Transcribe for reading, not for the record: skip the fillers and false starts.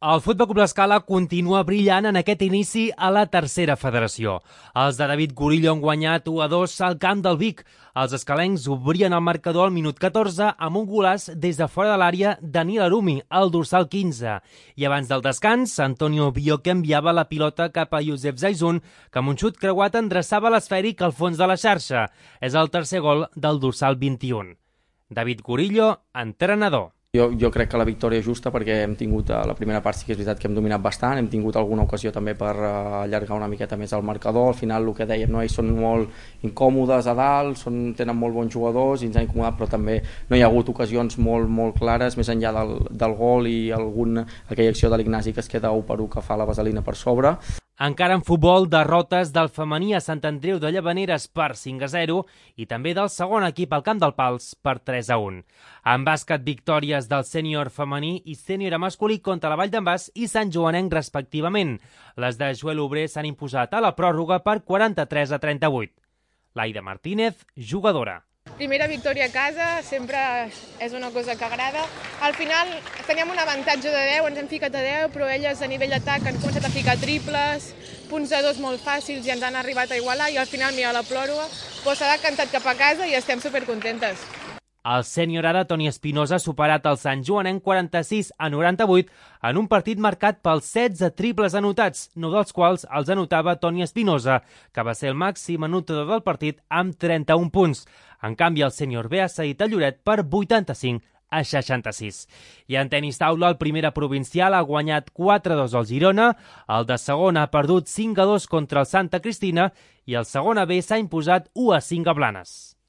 El Futbol Club L'Escala continua brillant en aquest inici a la tercera federació. Els de David Gurillo han guanyat 1-2 al camp del Vic. Els escalencs obrien el marcador al minut 14 amb un golaç des de fora de l'àrea de Nil Arumi, al dorsal 15. I abans del descans, Antonio Bioque enviava la pilota cap a Youssef Zaizun, que amb un xut creuat endreçava l'esfèric al fons de la xarxa. És el tercer gol del dorsal 21. David Gurillo, entrenador. Jo crec que la victòria és justa perquè hem tingut a la primera part sí que és veritat que hem dominat bastant, hem tingut alguna ocasió també per allargar una miqueta més el marcador. Al final el que dèiem, no? Ells són molt incòmodes a dalt, tenen molt bons jugadors i ens han incomodat, però també no hi ha hagut ocasions molt clares més enllà del gol i aquella acció de l'Ignasi que es queda 1-1 que fa la vaselina per sobre. Encara en futbol, derrotes del femení a Sant Andreu de Llavaneres per 5-0 i també del segon equip al Camp del Pals per 3-1. En bàsquet, victòries del sènior femení i sènior masculí contra la Vall d'en Bas i Sant Joanenc respectivament. Les de Joel Obrer s'han imposat a la pròrroga per 43-38. Laida Martínez, jugadora. Primera victòria a casa sempre és una cosa que agrada. Al final teníem un avantatge de 10, ens hem ficat a 10, però elles a nivell d'atac han començat a ficar triples, punts de 2 molt fàcils i ens han arribat a igualar i al final mira la pròrroga, però s'ha decantat cap a casa i estem supercontentes. El sènior ara, Toni Espinosa, ha superat el Sant Joanenc 46-98 en un partit marcat pels 16 triples anotats, 9 dels quals els anotava Toni Espinosa, que va ser el màxim anotador del partit amb 31 punts. En canvi, el sènior B ha cedit a Lloret per 85-66. I en tenis taula, el primera provincial ha guanyat 4-2 al Girona, el de segona ha perdut 5-2 contra el Santa Cristina i el segona B s'ha imposat 1-5 a Blanes.